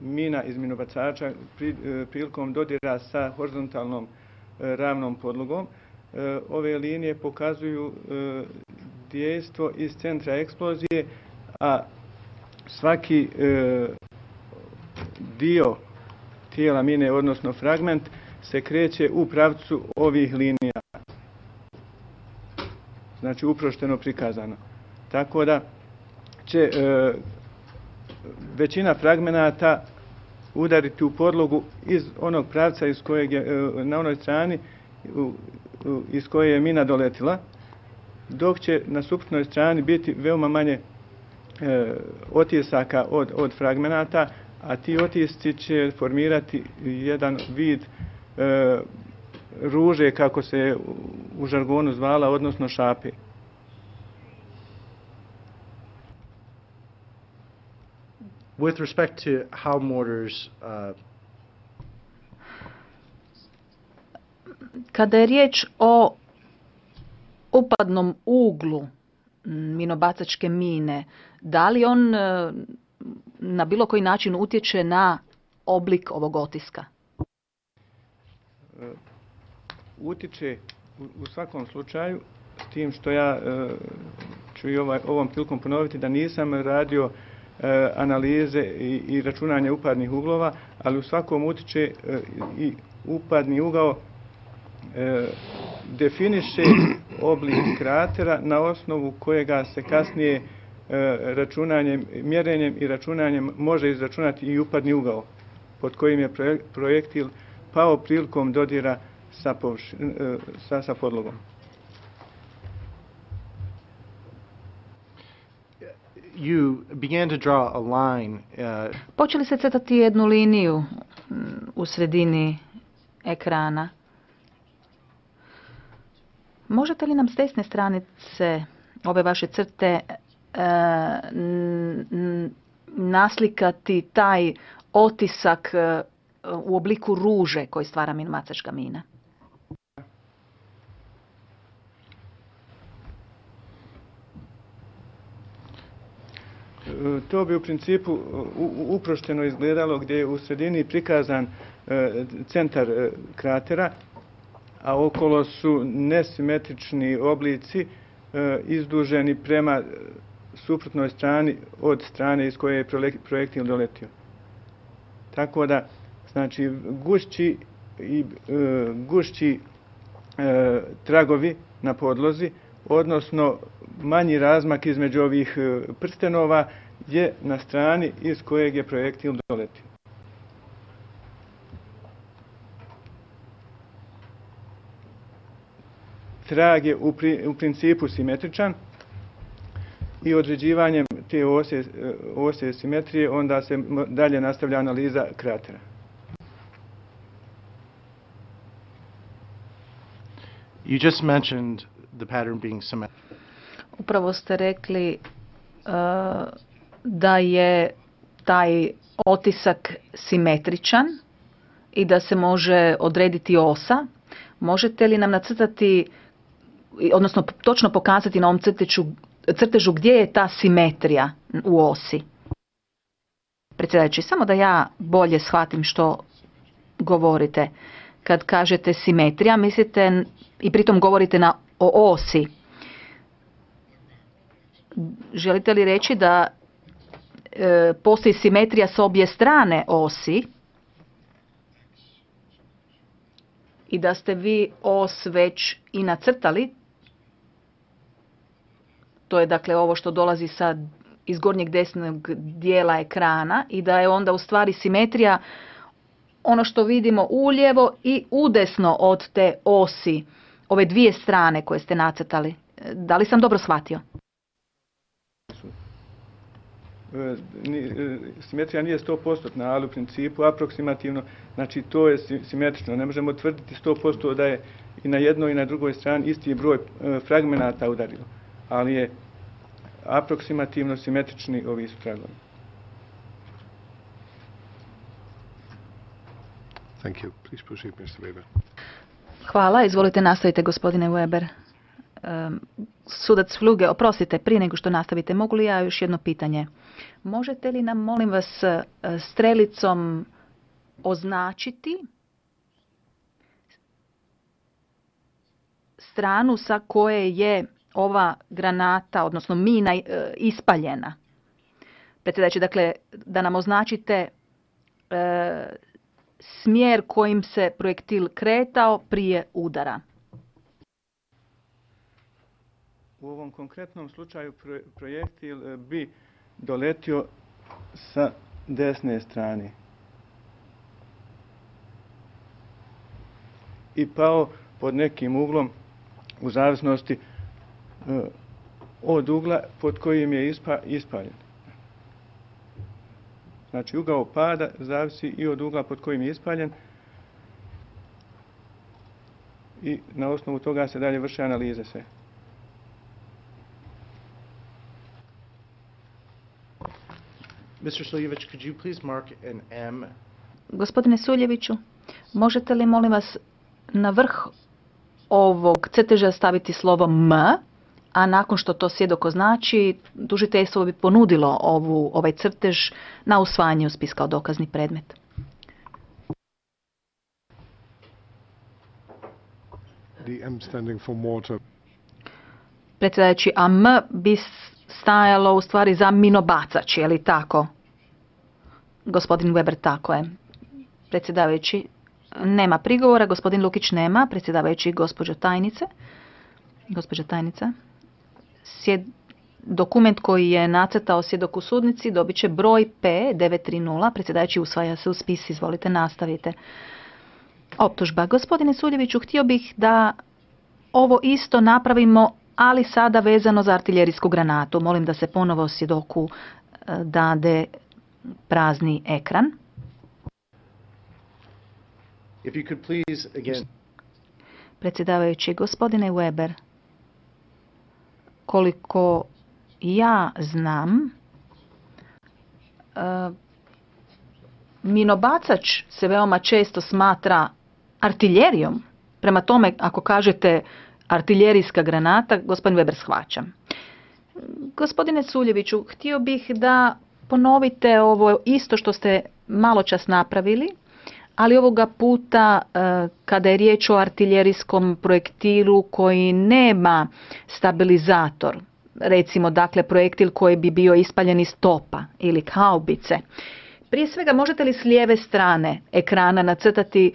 mina iz minobacača prilikom dodira sa horizontalnom ravnom podlogom. Ove linije pokazuju dejstvo iz centra eksplozije, a svaki dio tijela mine, odnosno fragment, se kreće u pravcu ovih linija. Znači uprošteno prikazano. Tako da će većina fragmenata udariti u podlogu iz onog pravca iz kojeg je, na onoj strani iz koje je mina doletila, dok će na suprotnoj strani biti veoma manje otisaka od fragmenata, a ti otisci će formirati jedan vid ruže, kako se u žargonu zvala, odnosno šape. With respect to how mortars kada je riječ o upadnom uglu minobacačke mine, da li on na bilo koji način utječe na oblik ovog otiska? Utiče u svakom slučaju, s tim što ja ću i ovom prilikom ponoviti da nisam radio analize i računanje upadnih uglova, ali u svakom utiče i upadni ugao definiše oblik kratera na osnovu kojega se kasnije računanjem, mjerenjem i računanjem može izračunati i upadni ugao pod kojim je projektil pao prilikom dodira sa podlogom. You began to draw a line. Počeli ste crtati jednu liniju u sredini ekrana. Možete li nam s desne stranice ove vaše crte naslikati taj otisak u obliku ruže koji stvara minobacačka mina? To bi u principu uprošteno izgledalo gdje je u sredini prikazan centar kratera, a okolo su nesimetrični oblici izduženi prema suprotnoj strani od strane iz koje je projektil doletio. Tako da, znači, gušći tragovi na podlozi, odnosno manji razmak između ovih prstenova je na strani iz kojeg je projektil doletio. Trag je u principu simetričan i određivanjem te ose simetrije onda se dalje nastavlja analiza kratera. You just mentioned the pattern being symmetric. Upravo ste rekli da je taj otisak simetričan i da se može odrediti osa. Možete li nam nacrtati, odnosno točno pokazati na ovom crtežu gdje je ta simetrija u osi? Predsjedajući, samo da ja bolje shvatim što govorite. Kad kažete simetrija, mislite i pritom govorite o osi. Želite li reći da postoji simetrija s obje strane osi i da ste vi os već i nacrtali? To je dakle ovo što dolazi iz gornjeg desnog dijela ekrana i da je onda u stvari simetrija ono što vidimo ulijevo i udesno od te osi, ove dvije strane koje ste nacrtali. Da li sam dobro shvatio? Simetrija nije 100%, ali u principu aproksimativno, znači to je simetrično. Ne možemo tvrditi 100% da je i na jednoj i na drugoj strani isti broj fragmenata udarilo, ali je aproksimativno simetrični ovi su tragovi. Thank you. Please proceed, Mr. Weber. Hvala. Izvolite, nastavite, gospodine Weber. Sudac Fluge, oprostite, prije nego što nastavite, mogu li ja još jedno pitanje? Možete li nam, molim vas, strelicom označiti stranu sa koje je ova granata, odnosno mina, ispaljena? Predsjedajući, dakle, da nam označite smjer kojim se projektil kretao prije udara. U ovom konkretnom slučaju projektil bi doletio sa desne strane i pao pod nekim uglom u zavisnosti od ugla pod kojim je ispaljen. Znači, ugao pada zavisi i od ugla pod kojim je ispaljen i na osnovu toga se dalje vrše analize sve. Mr. Suljević, could you please mark an M? Gospodine Suljeviću, možete li, molim vas, na vrh ovog crteža staviti slovo M, a nakon što to svjedok označi, tužiteljstvo bi ponudilo ovaj crtež na usvajanje u spis kao dokazni predmet. The M standing for mortar. Predsjedajući, a M bi stajalo u stvari za minobacač, je li tako? Gospodin Weber, tako je. Predsjedavajući, nema prigovora, gospodin Lukić nema, predsjedavajući gospođa tajnica. Dokument koji je nacrtao svjedok u sudnici dobit će broj P930, predsjedavajući usvaja se u spis, izvolite, nastavite. Optužba. Gospodine Suljeviću, htio bih da ovo isto napravimo, ali sada vezano za artiljerijsku granatu. Molim da se ponovo svjedoku dade prazni ekran. If you could please, again. Predsjedavajući, gospodine Weber, koliko ja znam, minobacač se veoma često smatra artiljerijom. Prema tome, ako kažete artiljerijska granata, gospodin Weber shvaća. Gospodine Suljeviću, htio bih da ponovite ovo isto što ste maločas napravili, ali ovoga puta kada je riječ o artiljerijskom projektilu koji nema stabilizator, recimo dakle projektil koji bi bio ispaljen iz topa ili haubice. Prije svega, možete li s lijeve strane ekrana nacrtati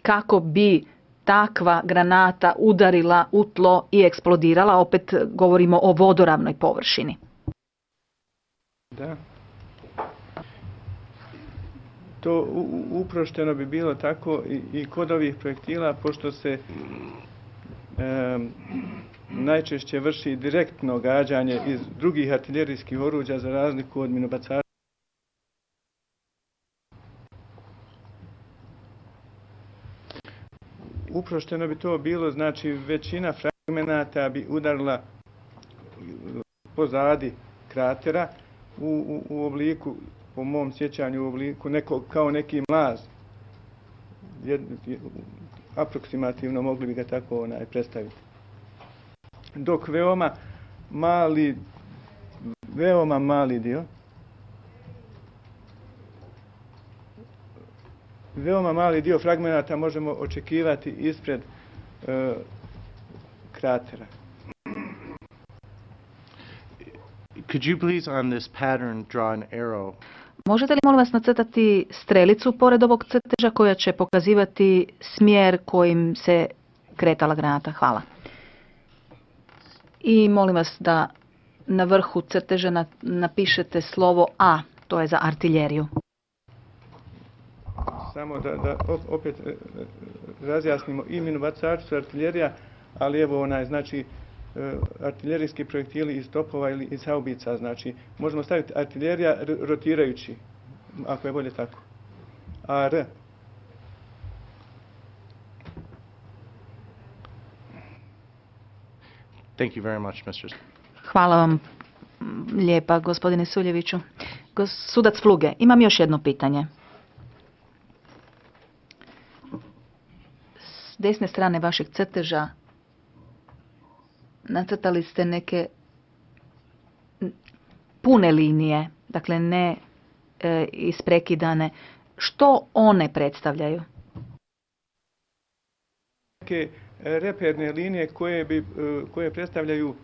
kako bi takva granata udarila u tlo i eksplodirala? Opet govorimo o vodoravnoj površini. Da. To uprošteno bi bilo tako i kod ovih projektila, pošto se najčešće vrši direktno gađanje iz drugih artiljerijskih oruđa za razliku od minobacača. Uprošteno bi to bilo, znači većina fragmenata bi udarila pozadi kratera u obliku, po mom sjećanju, u obliku kao neki mlaz. Aproksimativno mogli bi ga tako predstaviti. Dok veoma mali dio fragmenata možemo očekivati ispred kratera. Could you please on this pattern draw an arrow? Možete li, molim vas, nacrtati strelicu pored ovog crteža koja će pokazivati smjer kojim se kretala granata? Hvala. I molim vas da na vrhu crteža napišete slovo A, to je za artiljeriju. Samo da opet razjasnimo, i minobacači su artiljerija, ali evo znači artiljerijski projektili iz topova ili iz haubica, znači možemo staviti artiljerija rotirajući, ako je bolje tako. AR. Thank you very much, Mr. Hvala vam lijepa, gospodine Suljeviću. Sudac Fluge, imam još jedno pitanje. S desne strane vašeg crteža nacrtali ste neke pune linije, dakle ne isprekidane. Što one predstavljaju? Neke reperne linije koje predstavljaju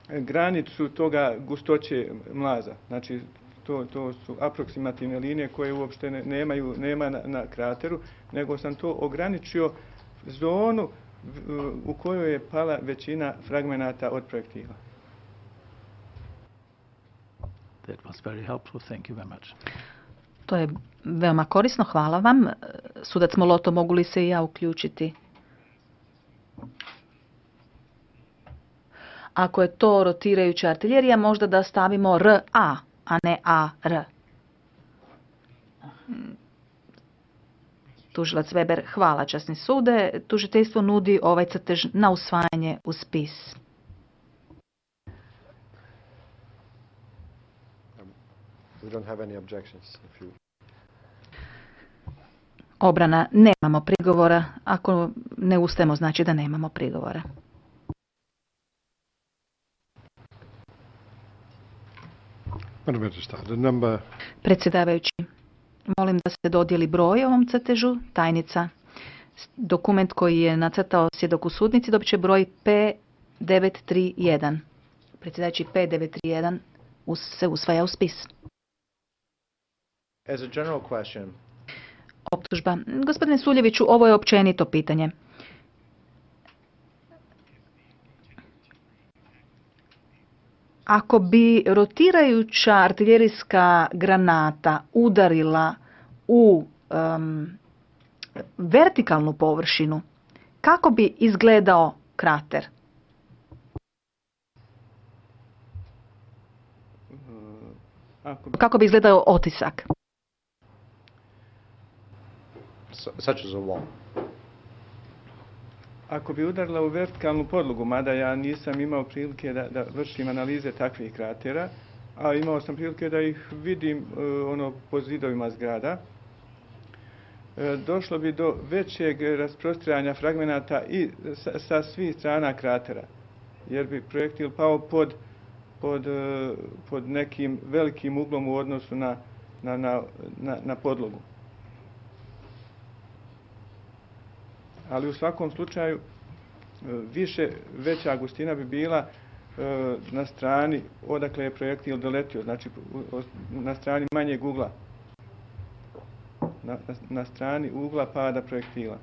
granicu toga gustoće mlaza. Znači, to su aproksimativne linije koje uopšte nema na krateru, nego sam to ograničio zonu u kojoj je pala većina fragmenata od projektila. That was very helpful. Thank you very much. To je veoma korisno, hvala vam. Sudac Moloto, mogu li se i ja uključiti? Ako je to rotirajuća artiljerija, možda da stavimo RA, a ne AR. Tužilac Weber, hvala časni sude. Tužiteljstvo nudi ovaj crtež na usvajanje u spis. We don't have any objections. Obrana, nemamo prigovora. Ako ne ustajemo, znači da nemamo prigovora. Madam Registrar, the number Predsjedavajući, molim da se dodijeli broj ovom crtežu. Tajnica, dokument koji je nacrtao svjedok u sudnici dobit će broj P931. Predsjedavajući, P931 se usvaja u spis. As a general question, Optužba. Gospodine Suljeviću, ovo je općenito pitanje. Ako bi rotirajuća artiljerijska granata udarila u vertikalnu površinu, kako bi izgledao krater? Kako bi izgledao otisak? such as a wall. Ako bi udarila u vertikalnu podlogu, mada ja nisam imao prilike da vršim analize takvih kratera, a imao sam prilike da ih vidim po zidovima zgrada, došlo bi do većeg rasprostrijanja fragmenata i sa svih strana kratera, jer bi projektil pao pod nekim velikim uglom u odnosu na podlogu. Ali u svakom slučaju veća gustina bi bila na strani odakle je projektil doletio, znači na strani manjeg ugla, na strani ugla pada projektila.